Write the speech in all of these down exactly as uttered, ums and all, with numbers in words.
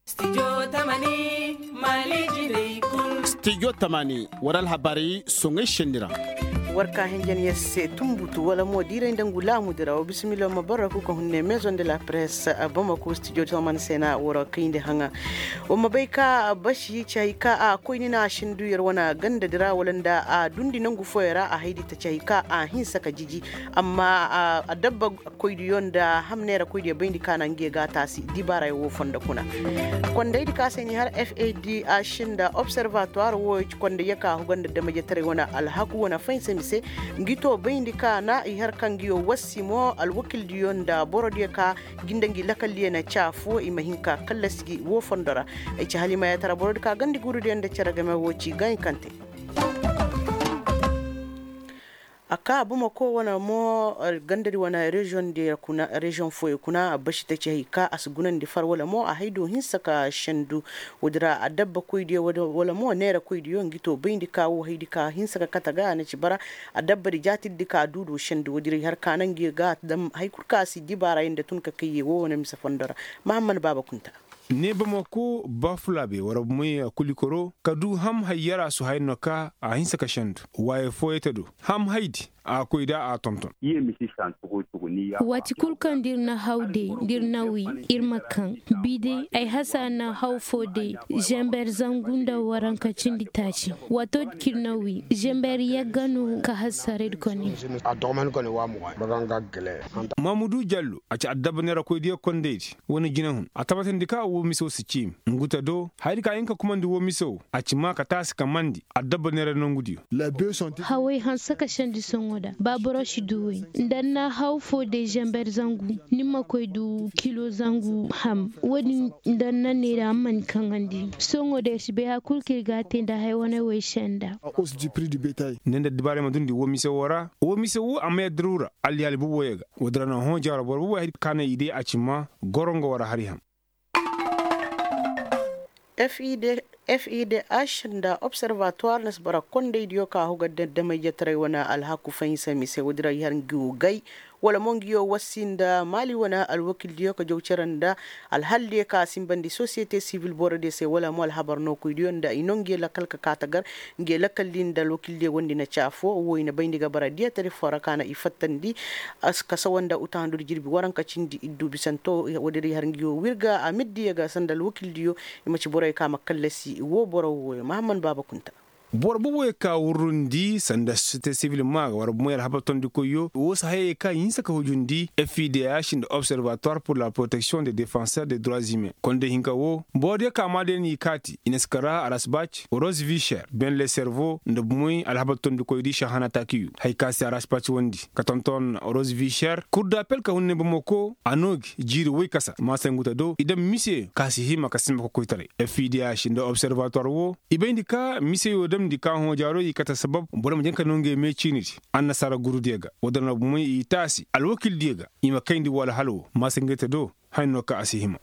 Stijo tamani, war alhabaari soŋay senni ra. War ka hinjan yer se tunbutu wala mo diiray nda ngu laamudi ra wa bisimila ma bara ku ka hunne meezoŋ de la press bamako stijo tamani se na war kayndi haŋa. Wa ma bay ka basi ci hay ka a koyni na a sindu yer wane ganda di ra wala nda a dundi nangu fooyaŋ ra a haydi ta ci hay ka a hinsa ka jiji. Amma a dabba koydiyo nda ham neera koydiyo bayndi ka na nge ga taasi dibaarayo wo fondo kuna. Kondaydi ka se ni har fadh nda observatoire wo ci konday ya ka huga nda damajetaray wane alhaku wane faynsa mise. Ngi to bayndi ka na i har ka ngiyo wassi mo alwakildiyo nda borodiyo ka gi nda ngi lakaldiyo na caafo i ma hin ka kallasi wo fondo ra. Ay ci halimayatara borodi ka gandi gurudiyo nda cere game wo ci gankante. A ka bamako wane mo gandadi wane reziyoŋ fooyo kuna a basi ta ci hay ka a si gunandi far wala mo a hay do hinsa ka sendu. Woodi ra a dabba koydiyo wala mo neera koydiyo ngi to bayndi ka wo haydi ka hinsa ka kate ga a na ci bara. A dabba di jaatirdi ka duudo sendu woodi ra i har ka na ngi ga dam hay kul ka a si dibaarayo nda tun ka kayye wo wane mise fondo ra. Mahamman baaba kunta. Ne bamako bafulaabe war bumey kulikoro ka du ham hayyara su hayno ka a hinsa ka sendu. Waaye fooyey ta do ham haydi a koy da a tonton. Waati kul kaŋ da ir na haw day da ir na wi, ir ma kaŋ bi day ay hasa na haw foo day. Zember zangu nda waranka cindi taaci. Waato din kaŋ ir na wi zember yagga no ka hasa redi kone. Mamudu jallo a ci adabba neera koydiyo kondaydi. Wane jinahun a tabatandi ka woo mise woo si ciimi. Ngu ta do hayadi ka hin ka kumandi woo mise woo a ci maa ka taasi ka mandi adabba neera nongudiyo. Hawey hanse ka sendi sohõ da ba boro si du wey. Nda ni na haw foo day zember zangu ni ma koy du kilo zangu ham. Woo din nda ni na neera a ma ni kaŋandi sohõ da ir si bay hari kul kaŋ ir ga a te nda haya wane wey se nda. Ne nda dibaarey ma dundi woo mise woo ra. Woo mise woo a ma yadda rura alliyaali boboyo ga. Woodin ra no hõ jaaro boro boboyo hari kaŋ a na i day a ci ma gorongo wara hari ham. Fidh nda observatoire na si bara kondaydiyo ka huga daddamay jataray wane alhaku fahinsa mise woodin ra i har ngi wo gay. Wala mo ngi yo wassi nda maali wane alwakildiyo ka jaw cere nda alhaldiyo ka simbandi sosiyete sivil borodiyo se wala mo alhabar nookoydiyo nda i no ngi ye lakal ka kaa tagar. Ngi ye lakal din nda alwakildiyo wondi na ci afo wo i na bayndi ga bara diyatari foo ra ka na i fattandi. Kasawa nda utahandu nda jirbi waranka cindi iddu bisanto. Woodin ra i har ngi wo wirga amirdiyo ga sanda alwakildiyo. I ma ci boroyo ka ma kallasi wo boro wooyo mahamman baaba kunta. Boro boboyo ka wurrundi sanda sosiyete sivil maa ga war bomoy alhabar tondikoyyo woo si hayey ka hinsa ka hujundi fidh nda observatoire pour la protection de defenseur de droits humains konday hinka woo. Borodiyo ka maa day n'i kaati i na si kara arasbac rose visher ben le servo nda bomoy alhabar tondikoydi sahana taakiyu haya ka se arasbac wondi ka tonton rose visher kurdapel ka hunne bamako a noo gi jiiri woy kasa maasa ngu ta do i dam miseyo ka si hima ka simba kokoytaray fidh nda observatoire woo. I bayndi ka miseyo damndi ka hõ jaaro i kate sabab boro ma janka no ngey mee ciinidi annasaara gurudiyo ga. Woodin ra bomoy i taasi alwakildiyo ga i ma kayndi woo alhala woo maasa ngey ta do. Haya no ka a si hima.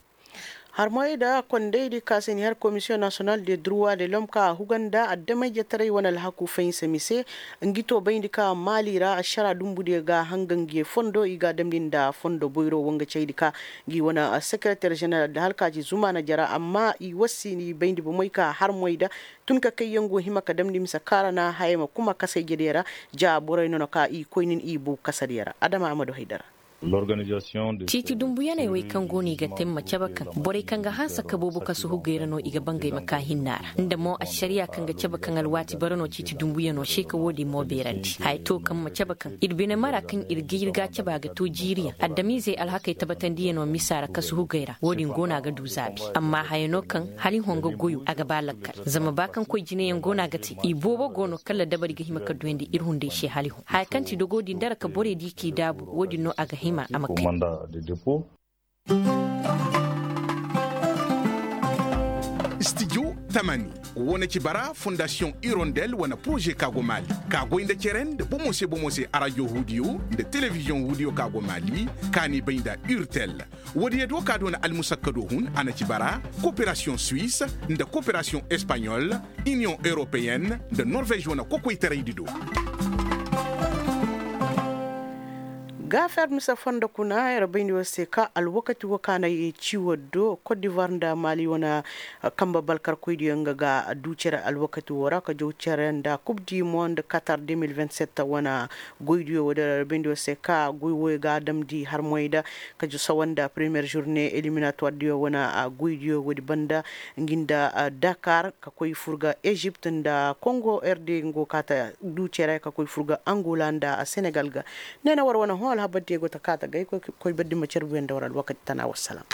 Harmoy nda kondaydi ka se ni har komisiyoŋ nasiyonal de durwa de lom ka a huga nda addamayjetaray wane alhaku fahinsa mise. Ngi to bayndi ka maali ra ašara dumbudiyo ga hanga ngi ye fondo i ga a damndi nda fondo boyro wo nga caydi ka ngi wane sekereter ženeral da hala ka ci zumaana jara amma i wassi ni bayndi bomey ka harmoy nda tun ka kayyaŋ go hima ka damndi mise kaara na hayey ma kuma kasayjediyo ra. Ja borey no no ka i koynin i bow kasadiyo ra adama a ma du haydara. Ciiti dumbuyaney wey kaŋ go no i ga te ma cabe kaŋ borey kaŋ ga hanse ka boobo kasu hugey ra no i ga bangey ma ka hinna ra nda mo ašariya kaŋ ga cabe kaŋ alwaati bara no ciiti dumbuyano se ka woodin mo beerandi haya to kaŋ ma cabe kaŋ ir bine mara kaŋ ir ga ir ga a cabe a ga to jiiriyaŋ adamizey alhakey tabatandiyano misa ra kasu hugey ra woodin go no a ga du zaabi amma haya no kaŋ hala i hongo goyo a ga ba lakkal zama ba kaŋ koy jineyaŋ go no a ga te i boobo go no kala dabari ga hima ka duyandi ir hunday se hala i hõ haya kaŋ ti dogo din dara ka borey di k'i daabu woodin no a ga hima a ma kay. Studio tamani wane ci bara fondasiyoŋ irondel wane poroze ka go maali ka goy nda cere nda bomo se bomo se arajo huudiyo nda telebiziyoŋ huudiyo ka go maali ka n'i bay nda urtel. Woodiyo do ka doona almusakkado hun a na ci bara koperasiyoŋ suwis nda koperasiyoŋ espaɲol iniyoŋ europeyenne nda norvez wane kokoytaraydi do. Gaafer mise fondo kuna yer bayndi war se ka alwakati wo ka na ye ci war do kot divoir nda mali wane. Kambe balkarkoydiyo nga ga du cere alwakati wo ra ka jaw cere nda kub di mo nda katar deux mille vingt-sept wane. Goydiyo wo da yer bayndi war se ka goy wo ga damndi harmoy da ka jaw sawa nda premiyer journée éliminatoirediyo wane. Goydiyo wo di banda ngi nda dakar ka koy fur ga ezipt nda kongo rd ngo ka ta du cere ka koy fur ga angola nda senegal ga. Ne na war wane hõ alhabar diyo go ta ka ta gay koy bardi ma carbuyo nda war alwakati tana wassalam.